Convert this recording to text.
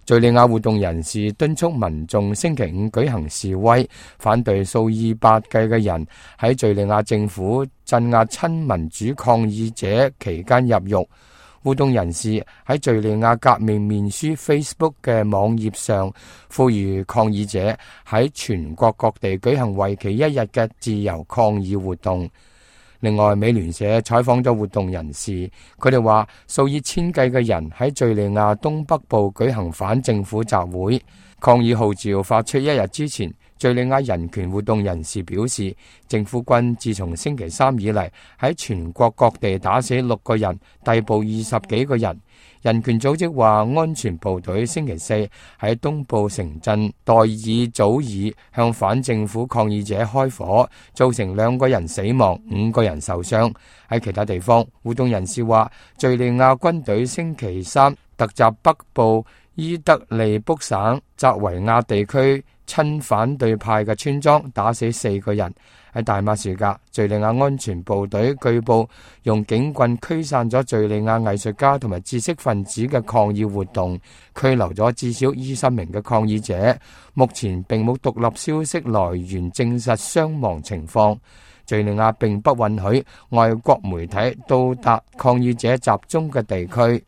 敘利亞活動人士敦促民眾星期五舉行示威，反對數以百計嘅人喺敘利亞政府鎮壓親民主抗議者期間入獄。活動人士喺敘利亞革命面書 Facebook 嘅網頁上呼籲抗議者喺全國各地舉行為期1日嘅自由抗議活動。另外，美聯社採訪咗活動人士，佢哋話數以千計嘅人喺敘利亞東北部舉行反政府集會。抗議號召發出1日之前，敘利亞人權活動人士表示，政府軍自從星期三以嚟喺全國各地打死6個人，逮捕20幾個人。人權組織話，安全部隊星期四喺東部城鎮代爾祖爾向反政府抗議者開火，造成2個人死亡，5個人受傷。喺其他地方，活動人士話，敘利亞軍隊星期三突襲北部伊德利卜省扎維亞地區親反對派嘅村莊，打死4個人。喺大馬士革，敘利亞安全部隊據報用警棍驅散咗敘利亞藝術家同埋知識分子嘅抗議活動，拘留咗至少20名嘅抗議者。目前並冇獨立消息來源證實傷亡情況。敘利亞並不允許外國媒體到達抗議者集中嘅地區。